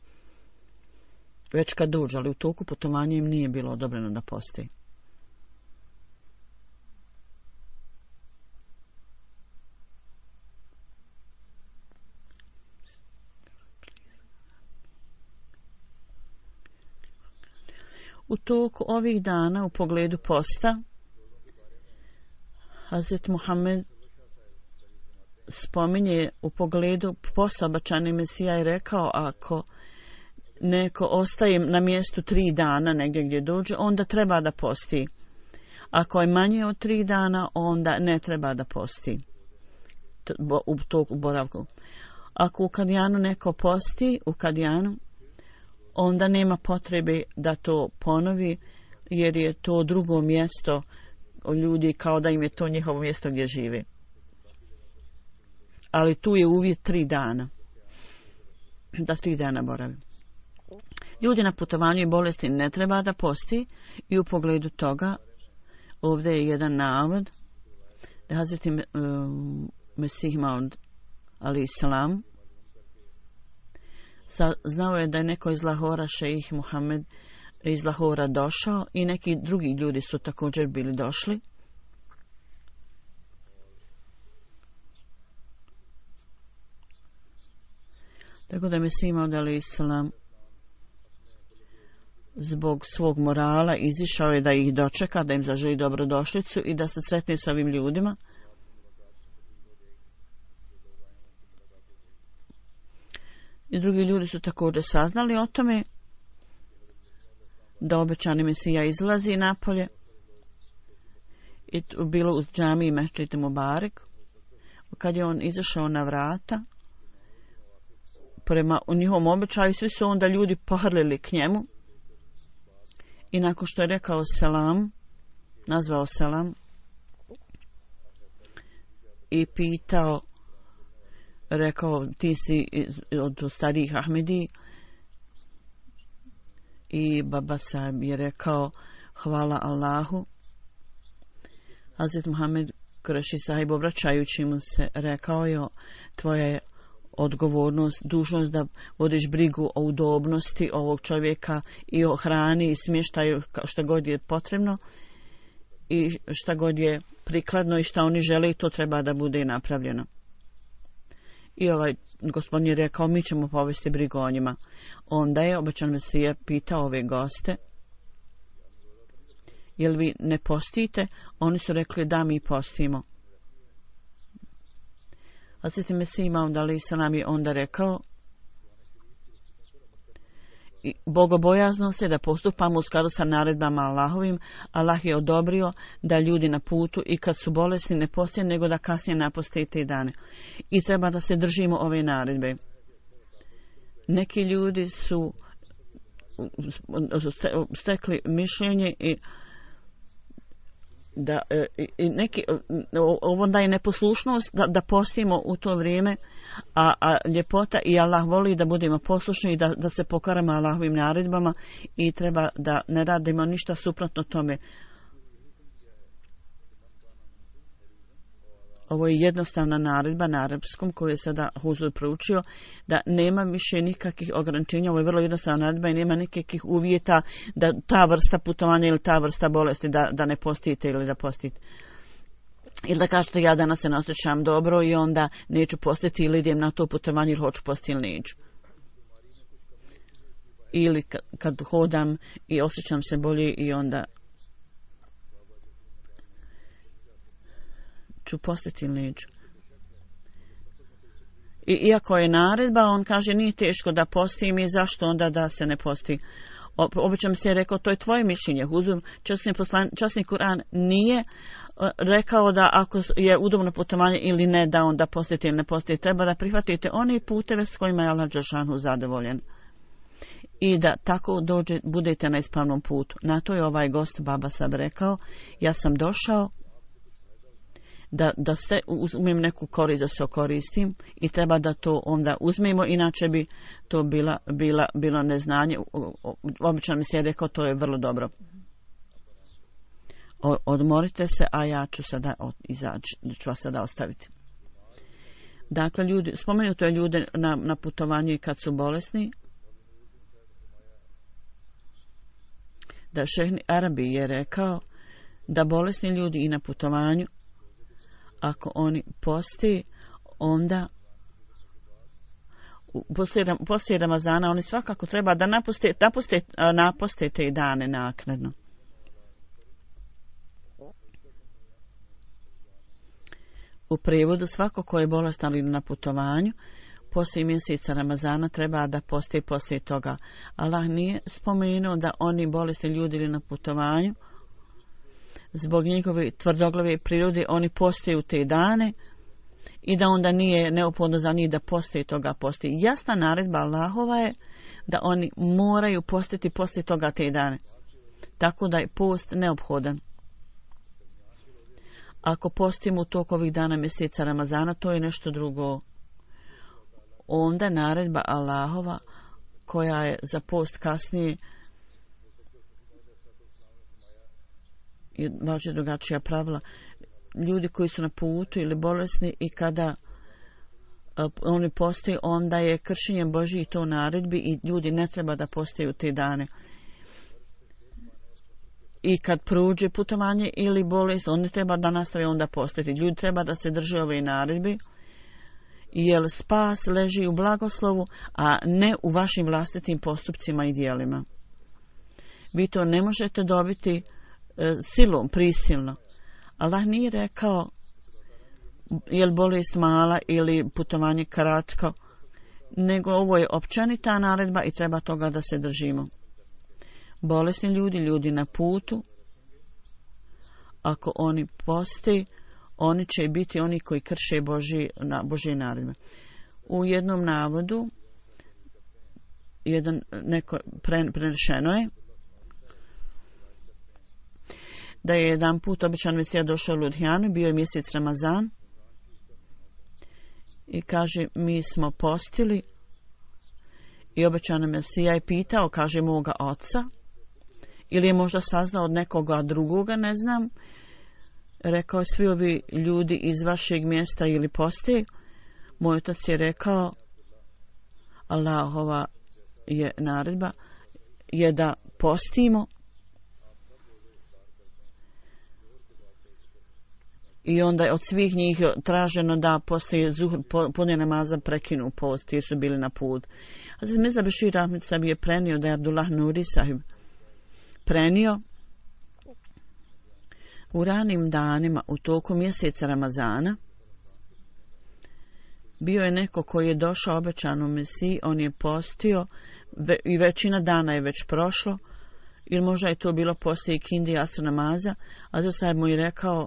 Već kad dođu, ali u toku putovanja im nije bilo odobreno da postoji. U toku ovih dana u pogledu posta Hazret Muhammed spominje u pogledu posta obećani Mesija i rekao ako neko ostaje na mjestu 3 dana negdje gdje dođe, onda treba da posti. Ako je manje od 3 dana, onda ne treba da posti u toku boravku. Ako u Kadijanu neko posti, u Kadijanu, onda nema potrebe da to ponovi, jer je to drugo mjesto ljudi kao da im je to njihovo mjesto gdje žive. Ali tu je uvjet 3 dana. Da 3 dana boravi. Ljudi na putovanju i bolesti ne treba da posti i u pogledu toga ovdje je jedan navod da Hazreti Mesih Maud alejhi selam znao je da je neko iz Lahora, šejih Muhammed iz Lahora došao i neki drugi ljudi su također bili došli. Tako da Mesih Maud alejhi selam zbog svog morala izišao je da ih dočeka, da im zaželi dobrodošlicu i da se sretne s ovim ljudima. I drugi ljudi su također saznali o tome da obećani Mesija izlazi napolje i bilo u džamiji Mešćid Mubarek. Kad je on izašao na vrata prema njihovom običaju, svi su onda ljudi pohrlili k njemu i nakon što je rekao selam, nazvao selam i pitao, rekao ti si od starijih Ahmedi, i baba sahib je rekao hvala Allahu. Hazret Muhammed Kureši sahib obraćajući mu se rekao je tvoja je odgovornost, dužnost da vodiš brigu o udobnosti ovog čovjeka i o hrani i smještaju šta god je potrebno i šta god je prikladno i šta oni žele i to treba da bude napravljeno. I ovaj gospodin je rekao mi ćemo povesti brigu o njima. Onda je obećan Mesija pitao ove goste jel vi ne postite? Oni su rekli da mi postimo. Hazret Mesih Maud alejhi selam je onda rekao bogobojaznost je da postupamo u skladu sa naredbama Allahovim. Allah je odobrio da ljudi na putu i kad su bolesni ne poste, nego da kasnije naposte te dane. I treba da se držimo ove naredbe. Neki ljudi su stekli mišljenje i da neki onda je neposlušnost da postimo u to vrijeme, a ljepota i Allah voli da budemo poslušni i da se pokorimo Allahovim naredbama i treba da ne radimo ništa suprotno tome. Ovo je jednostavna naredba na arapskom koju je sada Huzur proučio, da nema više nikakvih ograničenja. Ovo je vrlo jednostavna naredba i nema nikakvih uvjeta da ta vrsta putovanja ili ta vrsta bolesti da ne postite ili da postite. Ili da kažete ja danas se ne osjećam dobro i onda neću postiti ili idem na to putovanje ili hoću postiti ili neću. Ili kad hodam i osjećam se bolje i onda ću postiti ili neću. I iako je naredba, on kaže nije teško da postim i zašto onda da se ne posti. Obično se je rekao to je tvoje mišljenje. Huzur, časni Kur'an nije rekao da ako je udobno putovanje ili ne da onda postite ili ne postite. Treba da prihvatite one puteve s kojima je Allah dželešanu zadovoljen. I da tako budete na ispravnom putu. Na to je ovaj gost Baba Sab rekao, ja sam došao da se uzmem neku korist da se okoristim i treba da to onda uzmemo, inače bi to bilo neznanje. Obično mi se je rekao to je vrlo dobro. Odmorite se, a ja ću sada izaći, ću vas sada ostaviti. Dakle, spomenuto je ljude na putovanju i kad su bolesni, da Šejh Arabi je rekao da bolesni ljudi i na putovanju, ako oni posti, onda poslije Ramazana oni svakako treba da naposte te dane naknadno. U prijevodu, svako ko je bolestan ili na putovanju, poslije mjeseca Ramazana treba da posti poslije toga. Allah nije spomenuo da oni bolesni ljudi ili na putovanju, zbog njegove tvrdoglave prirode, oni postaju te dane i da onda nije neophodno za njih da postoji toga postoji. Jasna naredba Allahova je da oni moraju postiti poslije toga te dane. Tako da je post neophodan. Ako postimo u toku ovih dana mjeseca Ramazana, to je nešto drugo. Onda naredba Allahova koja je za post kasnije važi drugačija pravila. Ljudi koji su na putu ili bolesni i kada oni postaju, onda je kršenjem Božji to naredbi i ljudi ne treba da postaju te dane. I kad prođe putovanje ili bolest, oni treba da nastave onda postati. Ljudi treba da se drže ove naredbi, jer spas leži u blagoslovu, a ne u vašim vlastitim postupcima i djelima. Vi to ne možete dobiti silom, prisilno. Allah nije rekao je li bolest mala ili putovanje kratko, nego ovo je općenita naredba i treba toga da se držimo. Bolesni ljudi na putu, ako oni posti, oni će biti oni koji krše Božje naredbe. U jednom navodu prenešeno je da je jedan put običan Mesija došao u Ludhijanu, bio je mjesec Ramazan i kaže mi smo postili i običan Mesija je pitao, kaže moga oca, ili je možda saznao od nekoga drugoga, ne znam. Rekao je svi ovi ljudi iz vašeg mjesta ili posti. Moj otac je rekao Allahova je naredba je da postimo i onda je od svih njih traženo da poslije zuhr podne namaza prekinu post jer su bili na put. A za Mirza Bešir Ahmed Sabi je prenio da je Abdullah Nuri sahib prenio u ranim danima u toku mjeseca Ramazana bio je neko koji je došao obećanu Mesiji, on je postio i većina dana je već prošlo ili možda je to bilo poslije ikindi asr namaza, a za sad mu je rekao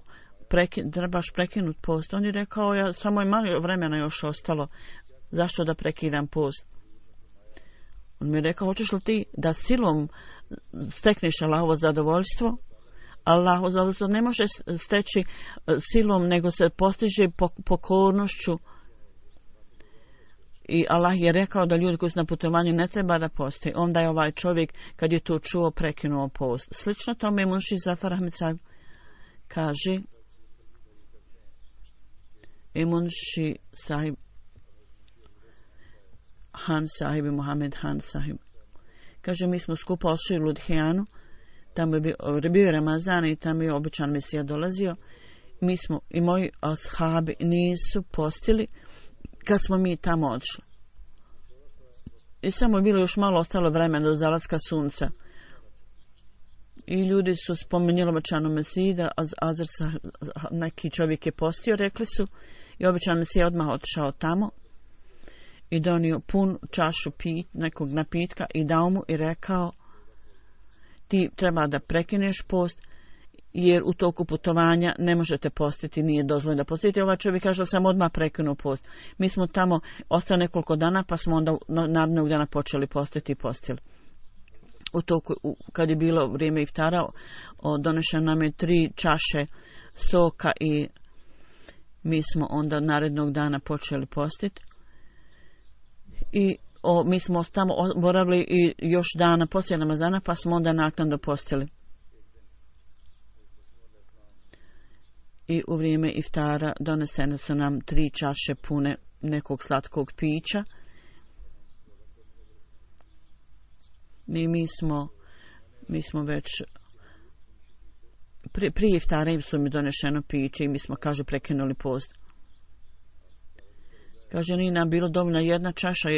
trebaš prekinut post. On je rekao samo je malo vremena još ostalo, zašto da prekidam post? On mi je rekao hoćeš li ti da silom stekneš Allahovo zadovoljstvo? Allahovo zadovoljstvo ne može steći silom, nego se postiže pokornošću. I Allah je rekao da ljudi koji su na putovanju ne treba da posti. Onda je ovaj čovjek, kad je to čuo, prekinuo post. Slično tome Munši Zafar Ahmed Sahib kaže, Munši Sahib Han Sahib i Mohamed Han Sahib. Kaže, mi smo skupo ošli u Ludhijanu, tamo je bio Ramazan i tamo je običan Mesija dolazio. Mi smo i moji ashabi nisu postili kad smo mi tamo odšli. I samo je bilo još malo ostalo vremena do zalaska sunca. I ljudi su spomenuli običanu Mesiju da neki čovjek je postio, rekli su, i običan Mesija odmah otišao tamo i donio pun čašu nekog napitka i dao mu i rekao ti treba da prekineš post jer u toku putovanja ne možete postiti, nije dozvoljeno da postite. Ovaj čovjek kaže da sam odmah prekinuo post. Mi smo tamo ostali nekoliko dana pa smo onda narednog dana počeli postiti i postili. U toku, kad je bilo vrijeme iftara, donešeno nam je 3 čaše soka i mi smo onda narednog dana počeli postiti i mi smo tamo boravili i još dana poslije namazana, pa smo onda naknadno postili. I u vrijeme iftara donesene su nam 3 čaše pune nekog slatkog pića. Mi smo već prije iftara im su mi donešeno piće i mi smo, kaže, prekinuli post. Kaže, nije nam bilo dovoljna jedna čaša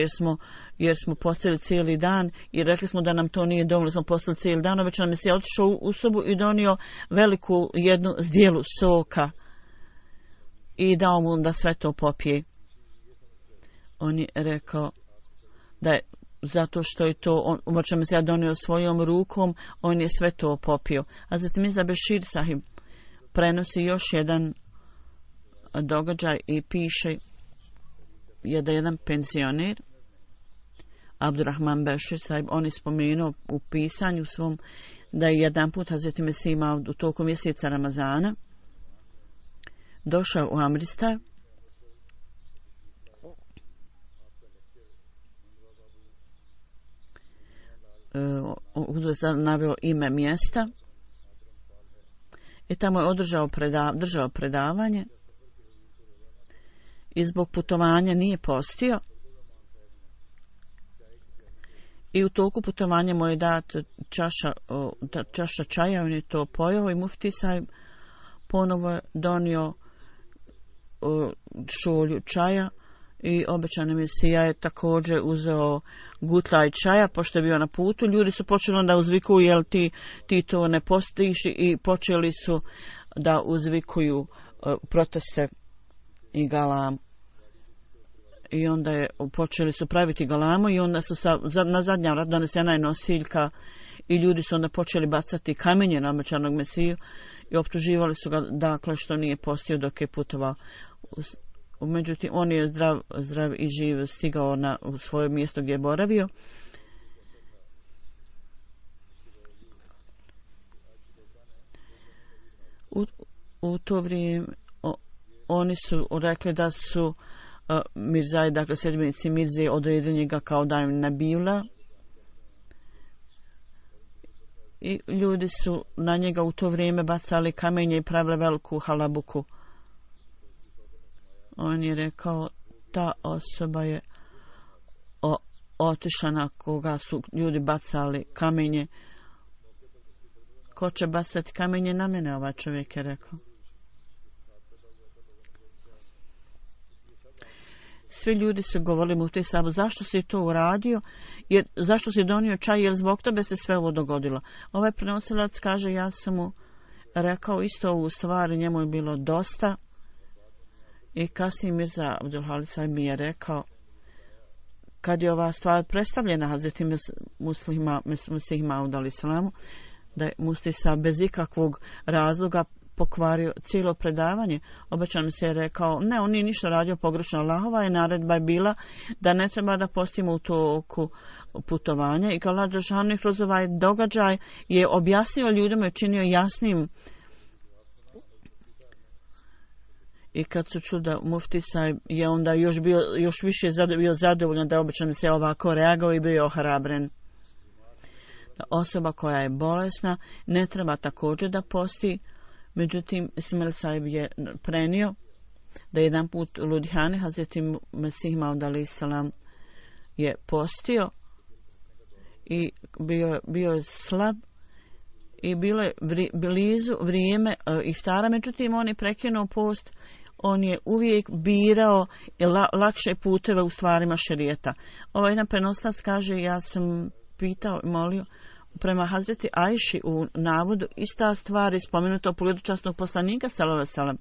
jer smo postili cijeli dan i rekli smo da nam to nije dovoljno, smo postili cijeli dan, već nam je se otišao u sobu i donio veliku jednu zdjelu soka i dao mu da sve to popije. On je rekao da je zato što je to, obačem se ja donio svojom rukom, on je sve to popio. A zatim Mirza Bešir sahib prenosi još jedan događaj i piše da jedan penzioner, Abdurrahman Bešir sahib, on je spomenuo u pisanju svom da je jedan put Hazreti Mesih imao u toku mjeseca Ramazana došao u Amristar naveo ime mjesta i tamo je držao predavanje i zbog putovanja nije postio i u toku putovanja mu je dat čaša čaja, on je to pojeo i mufti sahib ponovo je donio šolju čaja i obećani Mesija je također uzeo gutlaj čaja, pošto je bio na putu. Ljudi su počeli onda uzvikuju, jel ti to ne postiš, i počeli su da uzvikuju proteste i galam. I onda počeli su praviti galamu i onda su na zadnja vrat donesena je nosiljka i ljudi su onda počeli bacati kamenje na obećanog Mesiju i optuživali su ga, dakle, što nije postio dok je putovao. Međutim, on je zdrav i živ stigao u svoje mjesto gdje je boravio. U to vrijeme oni su rekli da su Mirzai, dakle sedmenici Mirze, odredili njega kao Daim Nabila i ljudi su na njega u to vrijeme bacali kamenje i pravili veliku halabuku. On je rekao, ta osoba je otišla na koga su ljudi bacali kamenje. Ko će bacati kamenje na mene, ovaj čovjek je rekao. Svi ljudi su govorili mufti sahibu, zašto si to uradio, zašto si donio čaj, jer zbog tebe se sve ovo dogodilo. Ovaj prenosilac kaže, ja sam mu rekao isto ovu stvar, njemu je bilo dosta. I kasnije Mirza Abdul Halik sahib mi je rekao, kad je ova stvar predstavljena Hazreti Mesih Maud alejhi selam, da je mufti sahib bez ikakvog razloga pokvario cijelo predavanje. Obećan mi se je rekao, ne, on nije ništa radio pogrešno. Allahova je naredba je bila da ne treba da postimo u toku putovanja i Allah dželešanu kroz ovaj događaj je objasnio ljudima i činio jasnim. I kad su čuli da mufti sahib je onda još više bio zadovoljan da je obećan se ovako reagao i bio ohrabren. Da osoba koja je bolesna ne treba također da posti. Međutim, Ismail sahib je prenio da jedan put u Ludhijani Hazreti Mesih Maud alejhi selam je postio i bio je slab i bilo je blizu vrijeme iftara, međutim on je prekinuo post. On je uvijek birao lakše puteve u stvarima šerijeta. Ovaj jedan prenoslac kaže, ja sam pitao i molio prema Hazreti Ajši u navodu ista stvar je spomenuta u pogledu časnog poslanika sallallahu alejhi ve sellem,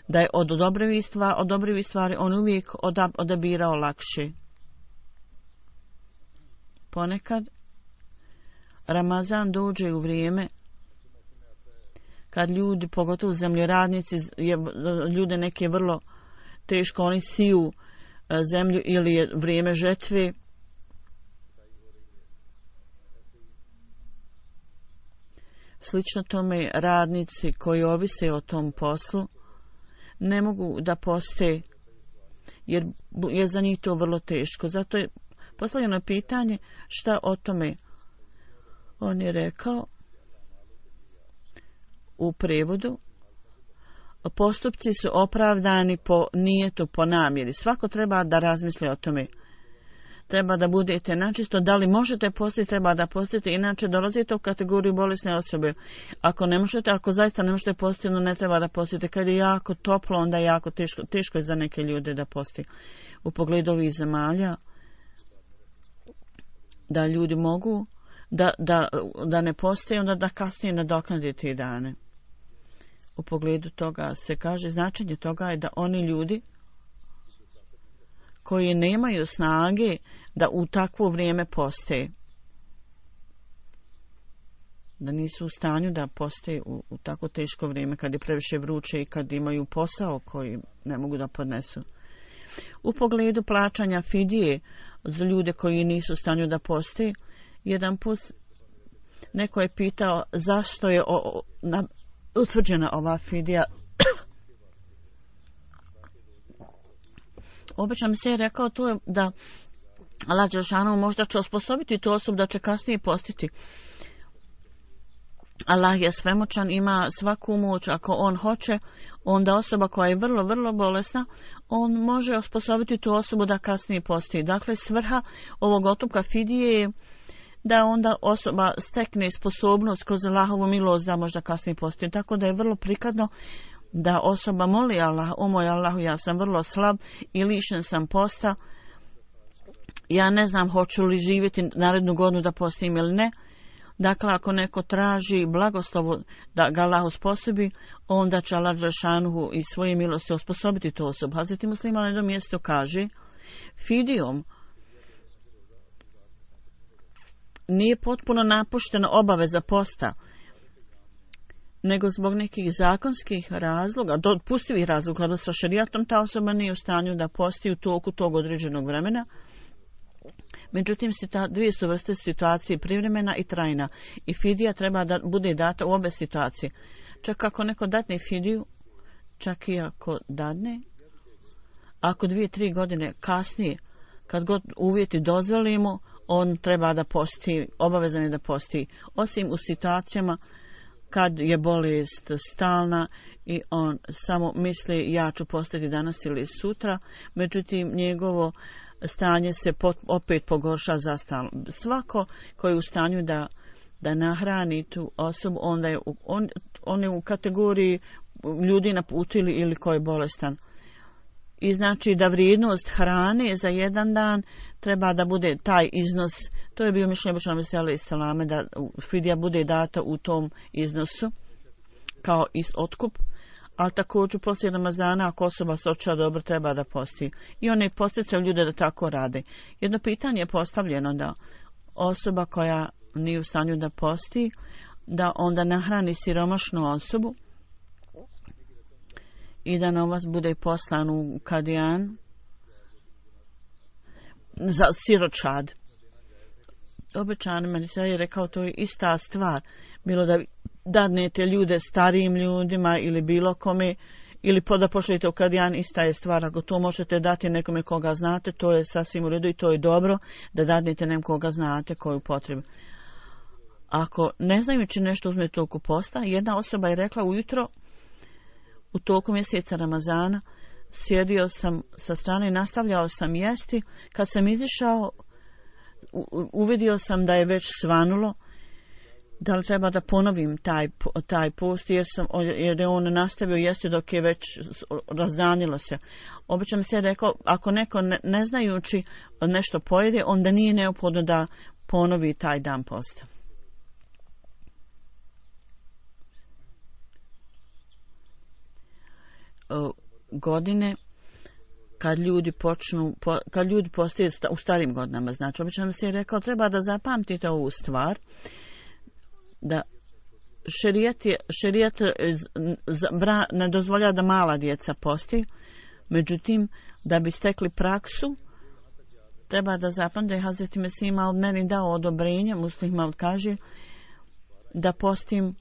da je od dobrivih stvari on uvijek odabirao lakše. Ponekad Ramazan dođe u vrijeme kad ljudi, pogotovo zemljoradnici, ljude neke vrlo teško, oni siju zemlju ili je vrijeme žetve. Slično tome radnici koji ovise o tom poslu, ne mogu da poste jer je za njih to vrlo teško. Zato je postavljeno pitanje šta o tome. On je rekao u prevodu, postupci su opravdani po nijetu, po namjeri. Svako treba da razmisli o tome. Treba da budete načisto, da li možete postiti, treba da postite, inače dolazite u kategoriju bolesne osobe. Ako ne možete, ako zaista ne možete postiti, onda ne treba da postite. Kad je jako toplo, onda je jako teško je za neke ljude da posti. U pogledu ovih zemalja, da ljudi mogu da ne postoje, onda da kasnije nadoknade te dane. U pogledu toga se kaže, značenje toga je da oni ljudi koji nemaju snage da u takvo vrijeme poste, da nisu u stanju da poste u tako teško vrijeme kad je previše vruće i kad imaju posao koji ne mogu da podnesu. U pogledu plaćanja fidije za ljude koji nisu u stanju da poste, jedan put neko je pitao zašto je utvrđena ova fidija. Obično mi se je rekao to je da Allah dželešanu možda će osposobiti tu osobu da će kasnije postiti. Allah je svemoćan, ima svaku moć. Ako on hoće, onda osoba koja je vrlo, vrlo bolesna, on može osposobiti tu osobu da kasnije posti. Dakle, svrha ovog otupka fidije je da onda osoba stekne sposobnost kroz Allahovu milost da možda kasnije posti. Tako da je vrlo prikladno da osoba moli Allah, o moj Allahu, ja sam vrlo slab i lišen sam posta, ja ne znam hoću li živjeti narednu godinu da postim ili ne. Dakle, ako neko traži blagoslovu da ga Allah osposobi, onda će Allah dželešanu i svoje milosti osposobiti tu osobu. Hazreti Muslima na jednom mjestu kaže, fidijom nije potpuno napuštena obaveza posta, nego zbog nekih zakonskih razloga, dopustivih razloga, da sa šerijatom ta osoba nije u stanju da posti u toku tog određenog vremena. Međutim, dvije su vrste situacije, privremena i trajna. I fidija treba da bude data u obe situacije. Čak ako neko dadne fidiju, čak i ako dadne, ako 2-3 godine kasnije, kad god uvjeti dozvolimo, on treba da posti, obavezan je da posti, osim u situacijama kad je bolest stalna i on samo misli ja ću postati danas ili sutra, međutim njegovo stanje se opet pogorša za stalno. Svako koji je u stanju da nahrani tu osobu, onda je on je u kategoriji ljudi naputili ili koji je bolestan. I znači da vrijednost hrane za jedan dan treba da bude taj iznos, to je bio mišljenje Božana Veselih Salame, da fidija bude data u tom iznosu kao otkup, ali također poslije Ramazana ako osoba se osjeća dobro treba da posti. I one posticaju ljude da tako rade. Jedno pitanje je postavljeno da osoba koja nije u stanju da posti, da onda nahrani siromašnu osobu i da novac bude poslan u Kadijan za siročad. Obećan meni se je rekao to je ista stvar. Bilo da dadnete ljude starijim ljudima ili bilo kome ili da pošaljete u Kadijan, ista je stvar. Ako to možete dati nekome koga znate, to je sasvim u redu i to je dobro da dadnete nekoga znate koju potrebu. Ako ne znajući nešto uzmete toku posta, jedna osoba je rekla ujutro u toku mjeseca Ramazana, sjedio sam sa strane i nastavljao sam jesti. Kad sam izišao, uvidio sam da je već svanulo. Da li treba da ponovim taj post, jer je on nastavio jesti dok je već razdanilo se. Obično mi se rekao, ako neko ne znajući nešto pojede, onda nije neophodno da ponovi taj dan posta. Godine kad ljudi postaju u starim godinama, znači obično mi se je rekao treba da zapamtite ovu stvar, da šerijat ne dozvolja da mala djeca posti, međutim da bi stekli praksu treba da zapamtite da je Hazreti Mesih Maud meni dao odobrenje, Muslim Maud kaže da postim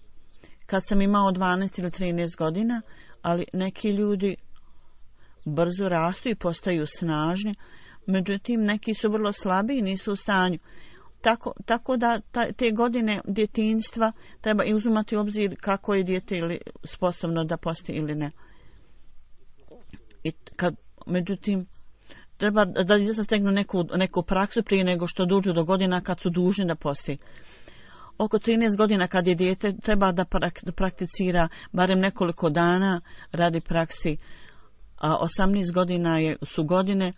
kad sam imao 12 ili 13 godina, ali neki ljudi brzo rastu i postaju snažni, međutim neki su vrlo slabi i nisu u stanju. Tako da te godine djetinjstva treba i uzimati u obzir kako je dijete ili sposobno da posti ili ne. Međutim, treba da djeca stegnu neku praksu prije nego što dođu do godina kad su dužni da posti. Oko 13 godina kad je dijete treba da prakticira barem nekoliko dana radi praksi, a 18 godina su godine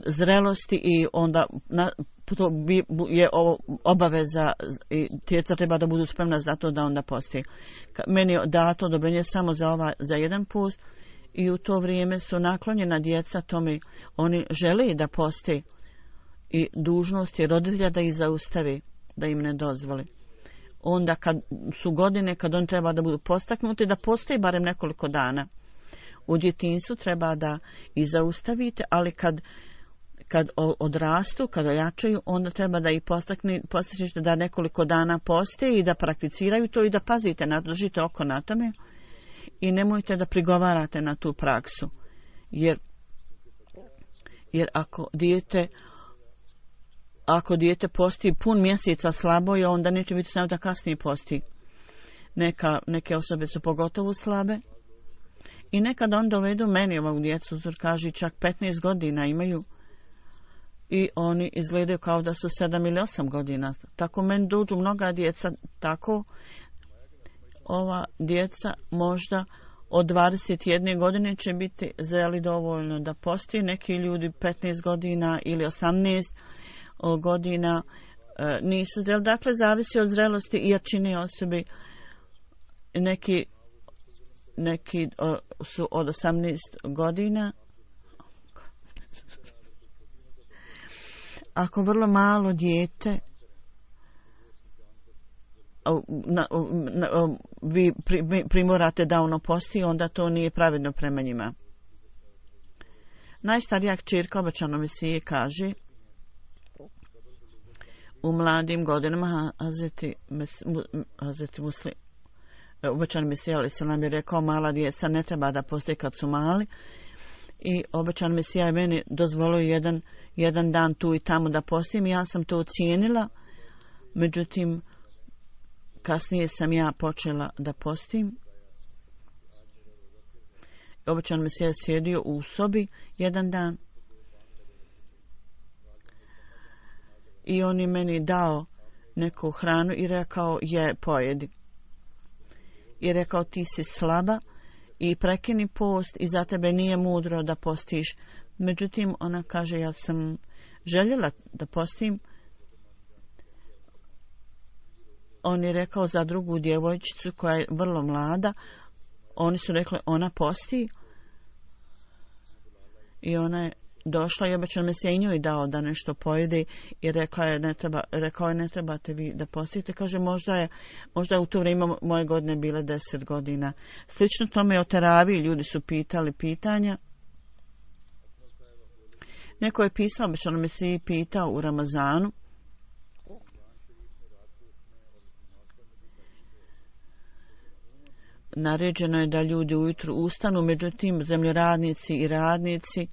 zrelosti i onda to je obaveza i djeca treba da budu spremna za to da onda posti. Meni je dato odobrenje samo za jedan post i u to vrijeme su naklonjena djeca tome, oni žele da posti i dužnost je roditelja da ih zaustavi, da im ne dozvoli. Onda kad su godine kad on treba da budu postaknuti, da postoji barem nekoliko dana. U djetinjstvu treba da ih zaustavite, ali kad odrastu, kad ojačaju, onda treba da ih postičete da nekoliko dana poste i da prakticiraju to i da pazite, držite oko na tome i nemojte da prigovarate na tu praksu. Jer ako dijete posti pun mjeseca slabo je, onda neće biti samo da kasnije posti. Neke osobe su pogotovo slabe i nekad on dovedu meni ovog djecu, kaže čak 15 godina imaju i oni izgledaju kao da su 7 ili 8 godina. Tako meni dođu mnoga djeca tako. Ova djeca možda od 21 godine će biti zreli dovoljno da posti. Neki ljudi 15 godina ili 18 godina nisu zreli. Dakle, zavisi od zrelosti i jačine osobe. Neki su od 18 godina. Ako vrlo malo dijete vi primorate da ono posti, onda to nije pravedno prema njima. Najstarija kćerka obećano Mesije kaže u mladim godinama Hazreti Muslim obećan Mesija ali se nam je rekao mala djeca ne treba da posti kad su mali i obećan Mesija je meni dozvolio jedan dan tu i tamo da postim i ja sam to ocijenila, međutim kasnije sam ja počela da postim. Obećan Mesija je sjedio u sobi jedan dan i on je meni dao neku hranu i rekao pojedi. I rekao ti si slaba i prekini post i za tebe nije mudro da postiš. Međutim, ona kaže ja sam željela da postim. On je rekao za drugu djevojčicu koja je vrlo mlada. Oni su rekli ona posti i ona je došla i obećan Mesija i njoj dao da nešto pojede i rekao je ne trebate vi da postite. Kaže možda je u to vrijeme moje godine bile 10 godina. Slično tome o teraviji ljudi su pitali pitanja. Neko je pisao, obećan Mesija pitao u Ramazanu. Naređeno je da ljudi ujutru ustanu, međutim zemljoradnici i radnici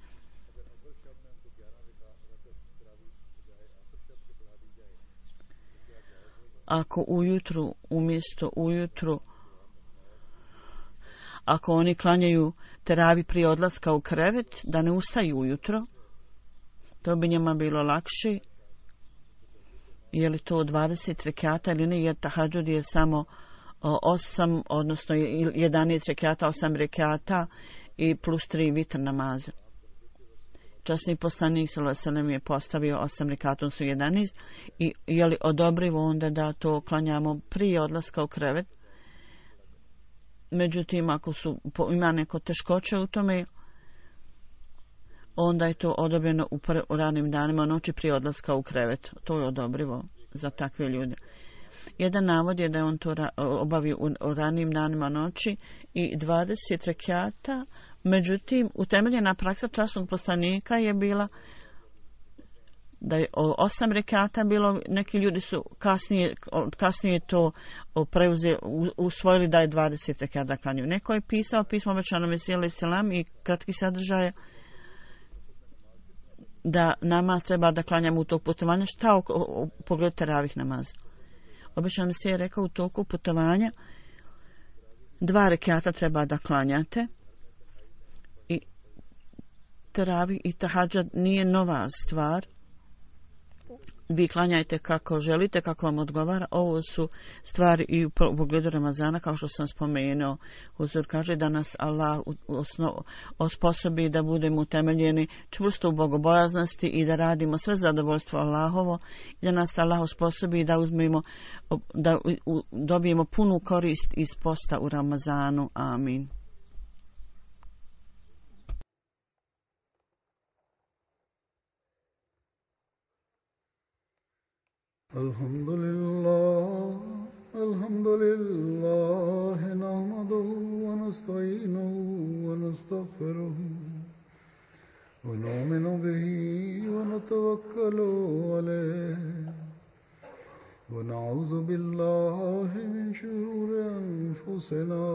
ako oni klanjaju teravi prije odlaska u krevet, da ne ustaju ujutro, to bi njima bilo lakše. Je li to 20 rekata ili ne, jer tahadžud je samo 8, odnosno 11 rekata, 8 rekata i plus 3 vitr namaza. Časni poslanik sallallahu je postavio 8 rekata, su 11 i je li odobrivo onda da to klanjamo prije odlaska u krevet. Međutim, ako ima neko teškoće u tome, onda je to odobreno u ranim danima noći prije odlaska u krevet. To je odobrivo za takve ljude. Jedan navod je da je on to obavio u ranim danima noći i 20 rekata. Međutim, utemeljena praksa časnog poslanika je bila da je 8 rekata bilo, neki ljudi su kasnije to usvojili da je 20 rekata klanjaju. Neko je pisao pismo obećanom Mesiji alejhi selam i kratki sadržaj da namaz treba da klanjamo u toku putovanja. Šta u pogledu teravih namaza? Obećan Mesija je rekao u toku putovanja 2 rekata treba da klanjate i teravih i tahadžad nije nova stvar. Vi klanjajte kako želite, kako vam odgovara. Ovo su stvari i u pogledu Ramazana, kao što sam spomenuo. Huzur kaže da nas Allah osposobi da budemo utemeljeni čvrsto u bogobojaznosti i da radimo sve zadovoljstvo Allahovo i da nas Allah osposobi da dobijemo punu korist iz posta u Ramazanu. Amin. Alhamdulillah, nahmaduhu wa nasta'inuhu wa nastaghfiruhu wa nu'minu bihi wa natawakkalu alayhi wa na'udhu billahi min shururi anfusina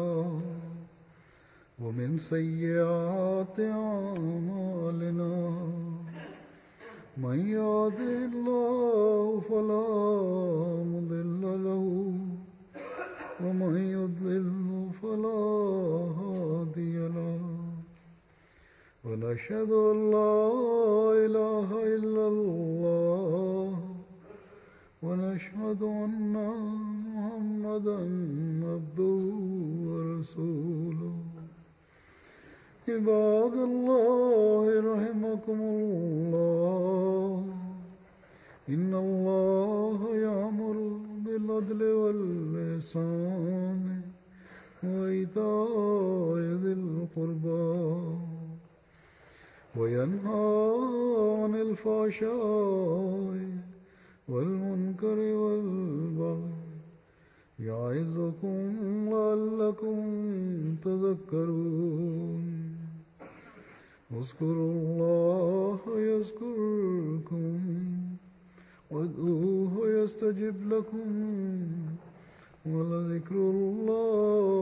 wa min sayyiati a'malina. من يهده الله فلا مضل له ومن يضلل فلا هادي له ونشهد أن لا إله إلا الله ونشهد أن محمدا عبده ورسوله. عباد الله رحمكم الله إن الله يأمر بالعدل والإحسان وإيتاء ذي القربى وينهى عن الفحشاء والمنكر والبغي يعظكم لعلكم تذكرون. اذكروا الله يذكركم وادعوه يستجب لكم ولذكر الله